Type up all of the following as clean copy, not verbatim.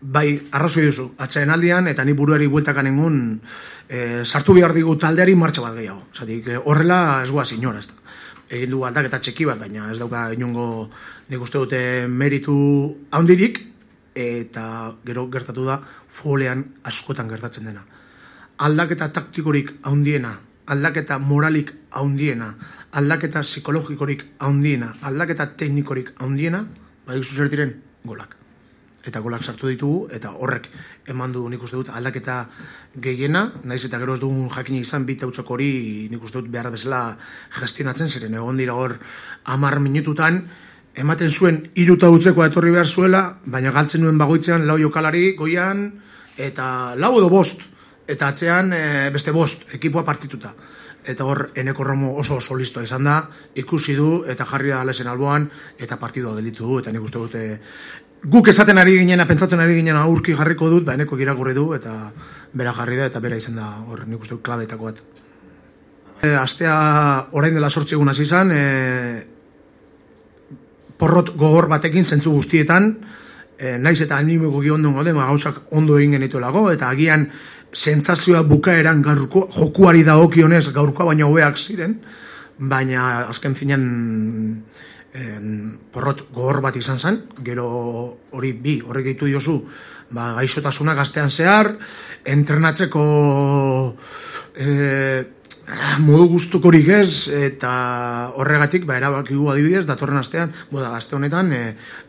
bai, arrazoi duzu, atxaen aldian, eta ni buruari bueltakan engun, sartu behar digu taldeari martxa bat gehiago. Zatik, horrela ez guaz inora, ez da. Egin du aldaketa txeki bat, baina ez dauka inongo, nik uste dute meritu handirik, eta gero gertatu da futbolean askotan gertatzen dena. Aldaketa taktikorik handiena, aldaketa moralik handiena, aldaketa psikologikorik handiena, aldaketa teknikorik handiena, badik zuzer diren golak. Eta golak sartu ditugu, eta horrek eman du nik uste dut aldaketa gehiena, naiz eta gero ez dugun jakina izan bit hautzok hori nik uste dut behar bezala gestionatzen, ziren egon dira hor 10 minututan, ematen zuen 3 utzekoa etorri behar zuela, baina galtzen nuen bagoitzean 4 jokalari goian, eta 4 edo 5, eta atzean beste 5 ekipoa partituta. Eta hor, Eneko Romo oso listoa izan da, ikusi du, eta jarri da lesen alboan, eta partidua gelditu du, eta nik uste dute guk esaten ari ginena, pentsatzen ari ginena aurki jarriko dut, ba Eneko irakurri du, eta bera jarri da, eta bera izan da, hor nik uste dut klabetako bat. Astea orain dela 8 egun hasi izan, porrot gogor batekin zentzu guztietan, naiz eta animeko ondo gode, gauzak ondo egin genituelago, eta agian sentsazioa bukaeran jokuari dagokionez gaurkoa baina hobeak ziren, baina azken finean porrot gogor bat izan zen, gero horrek gehitu diozu, gaixotasuna gaztean zehar, entrenatzeko modu gustukorik ez, eta horregatik erabaki du adibidez, datorren astean, aste honetan,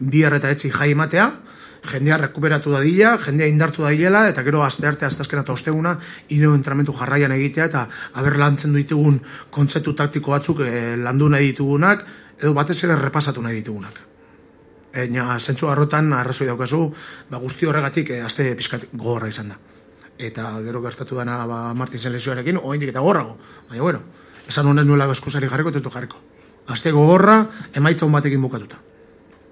2 eta etzi jai ematea, jendea rekuperatu dadila, jendea indartu dadilela, eta gero aste arte, asteazkena eta osteguna, ineo entramentu jarraian egitea, eta haber lantzen ditugun kontzeptu taktiko batzuk landu nahi ditugunak, edo batez ere repasatu nahi ditugunak. Zentzu harrotan, arrazoi daukazu, guzti horregatik aste pixkat gogorra izan da. Eta gero gertatu dena Martinsen lesioarekin, oraindik eta gorrago. Baina, bueno, esan honez nuela eskuzari jarriko, eta jarriko. Aste gogorra, emaitza hon batekin bukatuta.